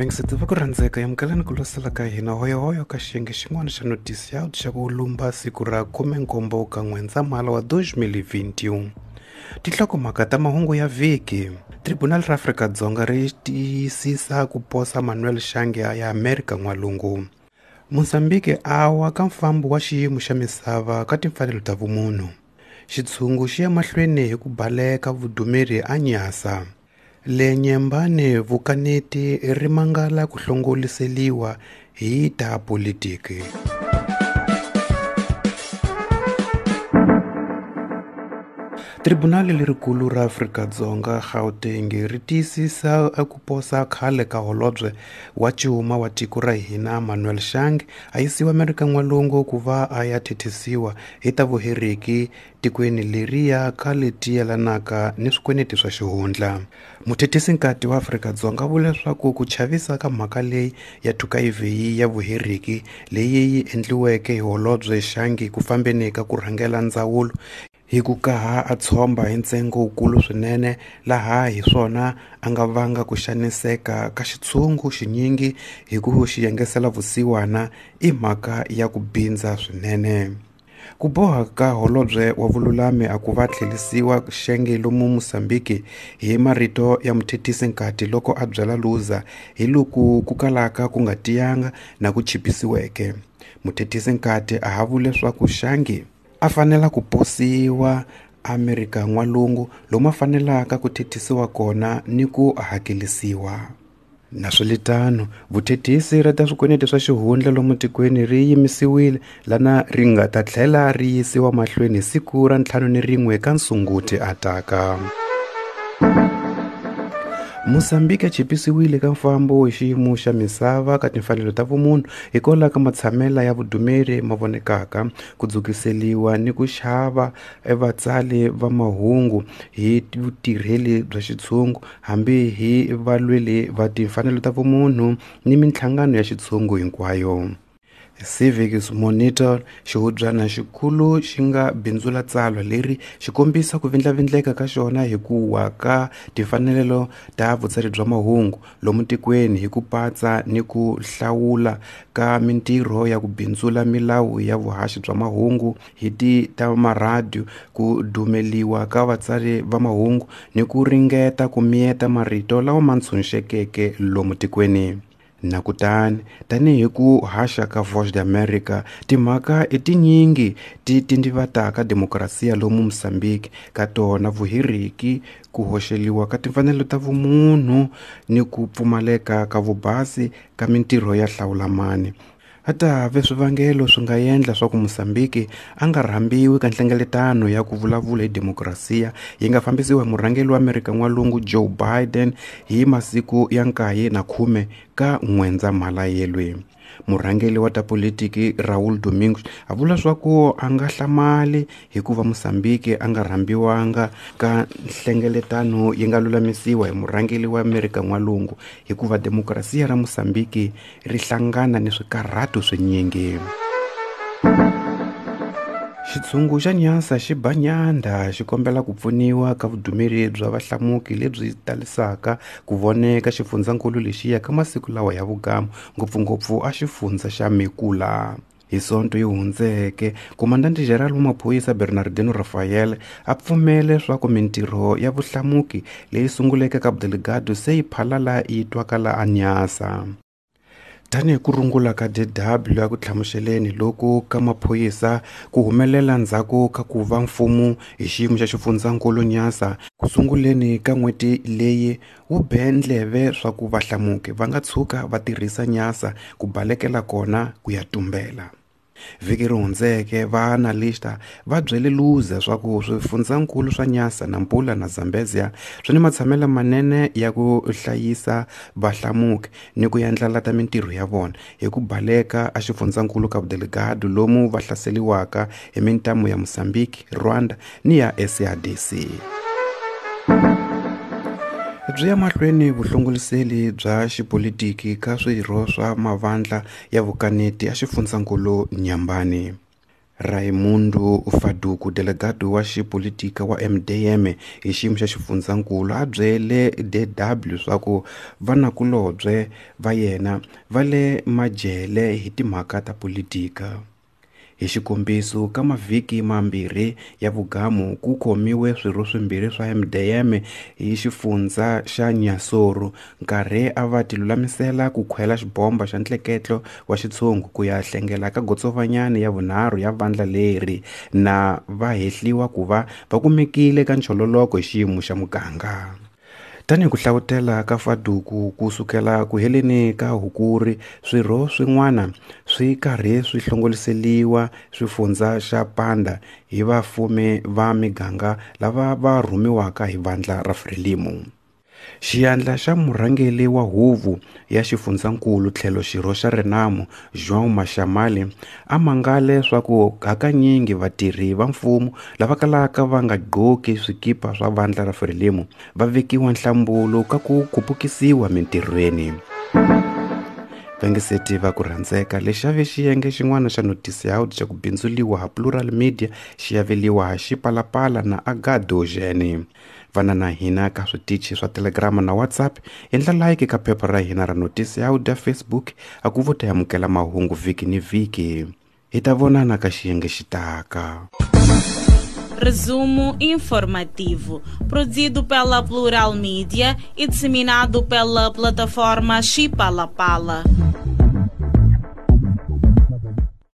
Vayingiseti va ku rhandzeka amukelani ku losela ka hina hoyohoyo ka xiyenge xin'wana xa notisi ya xa ku lumba siku ra 17 ka N'wendzamhala wa 2021. Tinhlokomhaka ta mahungu ya vhiki. Tribunal ra Afrika-Dzonga ri tiyisisa ku posa Manuel Shange ya Amerika N'walungu. Mozambique a wa ka mfambo wa xiyimo xa misava ka timfanelo ta vumunhu. Xitshungu xi ya mahlweni hi ku baleka vudumeri a Nyasa. Le Nyembane vukaneti ri mangala ku hlongoliseliwa hi ta politiki. Tribunali lerikulu ra Afrika-Dzonga Gauteng ri tiyisisa ku posa khale ka holobye wa cuma wa tiko ra hina Manuel Shange a yisiwa Amerika N'walungu ku va a ya thethisiwa hi ta vuheriki tikweni leriya ka leti yelanaka ni swikweleti swa xihundla. Muthethisinkati wa Afrika-Dzonga vula leswaku ku chavisa ka mhaka leyi ya thukayivheyi ya vuheriki leyi yi endliweke hi holobye Shange ku fambeni ka ku rhangela ndzawulo hi ku kaha a tshomba hi ntsengo wukulu swinene laha hi swona a nga vanga ku xaniseka ka xitshungu xinyingi hi ku xi yengesela vusiwana i mhaka ya ku bindza swinene. Ku boha ka holobye wa vululami a ku va tlhelisiwa Xenge lomu Mozambique hi marito ya muthethisinkati loko a byela Luza hi loku ku kalaka ku nga tiyanga na ku chipisiweke. Muthethisinkati a ha vule leswaku Shange a fanela ku posiwa Amerika N'walungu lomu a fanelaka ku thethisiwa kona ni ku hakelisiwa. Naswilitano, vuthethisi ra ta swikweleti swa xihundla lomu tikweni ri yimisiwile lana ri nga ta tlhela ri yisiwa mahlweni hi siku ra 51 ka Sunguti ataka. Mozambique a chipisiwile ka mfambo hi xiyimo xa misava ka timfanelo ta vumunhu hikwalaho ka matshamela ya vudumeri ma vonekaka ku dzukiseliwa ni ku xava vatsali va mahungu hi vutirheli bya xitshungu hambi hi valweli va timfanelo ta vumunhu ni minhlangano ya xitshungu hinkwayo. Civic Monitor xihubyana xikulu xi nga bindzula tsalwa leri xi kombisa ku vindlavindleka ka xona hi ku wa ka timfanelo ta vutsari bya mahungu lomu tikweni hi ku patsa ni ku hlawula ka mintirho ya ku bindzula milawu ya vuhaxi bya mahungu hi ti ta maradiyo ku dumeliwa ka vatsari va mahungu ni ku ringeta ku miyeta marito lawa ma ntshunxekeke lomu tikweni. Na kutani tanihi ku haxa ka Voice of America timhaka i tinyingi ti tindivataka demokrasiya lomu Mozambique ka tona vuhiriki ku hoxeliwa ka timfanelo ta vumunhu ni ku pfumaleka ka vubasi ka mintirho ya hlawulamani. A ta ve swivangelo swi nga endla swa ku Mozambique a nga rhambiwi ka nhlengeletano ya ku vulavula hi demokrasiya yi nga fambisiwa hi murhangeri wa Amerika N'walungu Joe Biden hi masiku ya 9 na 10 ka N'wendzamhala yelwe. Murhangeri wa ta politiki Raul Domingos a vula swa ku a nga hlamali hikuva Mozambique a nga rhambiwanga ka nhlengeletano yi nga lulamisiwa hi murhangeri wa Amerika N'walungu hikuva demokrasiya ra Mozambique ri hlangana ni swikarhato swinyingi. Xitshungu xa Nyasa xi ba nyandha xi kombela ku pfuniwa ka vudumeri bya vahlamuki lebyi talisaka ku voneka xifundzankulu lexiya ka masiku lawa ya vugamu ngopfungopfu a xifundza xa Mekula. Hi Sonto yi hundzeke, Komandante General wa maphorisa Bernardino Rafael a pfumele leswaku mintirho ya vuhlamuki leyi sunguleke ka Delgado se yi phalala yi twakala a Nyasa. Tanihi ku rungula ka DW ya ku hlamuseleni loku ka maphorisa ku humelela ndzhaku ka ku va mfumo hi xiyimo xa xifundzankulu Nyasa ku sunguleni ka n'hweti leyi wu be ndleve swa ku vahlamuki va nga tshuka va tirhisa Nyasa ku balekela kona ku ya tumbela. Vhiki ri hundzeke va analysta va byele Luza swa ku swifundzankulu swa Nyasa, Nampula na Zambezia swi ni matshamelo manene ya ku hlayisa vahlamuki ni ku yandlalata mintirho ya vona hi ku baleka a xifundzankulu Cabo Delgado lomu va hlaseliwaka hi mintamu ya Mozambique, Rwanda ni ya SADC. Byi ya mahlweni vuhlongoliseli bya xipolitiki ka swirho swa mavandla ya vukaneti ya xifundzankulu Nyambani. Raimundo Faduku, delegado wa xipolitika wa MDM hi xiyimo xa xifundzankulu, a byele DW swa ku vanakulobye va yena va le majele hi timhaka ta politika. Hi xikombiso, ka mavhiki mambirhi ya vugamu ku khomiwe swirho swimbirhi swa MDM hi xifundza xa Inhassoro nkarhi a va tilulamisela ku khwela xibomba xa ntleketlo wa xitshungu ku ya hlengela ka gotsovanyani ya vunharhu ya vandla leri na va hehliwa ku va va kumekile ka nchololoko hi xiyimo xa muganga. Tanihi ku hlavutela ka Faduku ku sukela ku heleni ka Hukuri, swirho swin'wana swi karhi swi hlongoliseliwa swifundza xa Panda hi vafumi va miganga lava va rhumiwaka hi vandla ra Frelimo. Xiyandla xa murhangeri wa huvo ya xifundzankulu tlhelo xirho xa Renamo, João Maxamali, a mangale swa ku hakanyingi vatirhi va mfumo lava kalaka va nga gqoki swikipa swa vandla ra Frelimo va vekiwa nhlambulo ka ku khupukisiwa mintirhweni. Vangeseti va ku rhandzeka lexi a ve xiyenge xin'wana xa notisiaudi xa ku bindzuliwa ha Plural Media xi aveliwa ha Xipalapala na Agado Jene. Vana na hina ka switichi swa Telegram na WhatsApp, endla like ka phepha ra hina ra notisiaudi ya Facebook a ku vo ta amukela mahungu vhiki ni vhiki. Hi ta vonana ka xiyenge xitaka. Resumo informativo, produzido pela Plural Mídia e disseminado pela plataforma Chipalapala.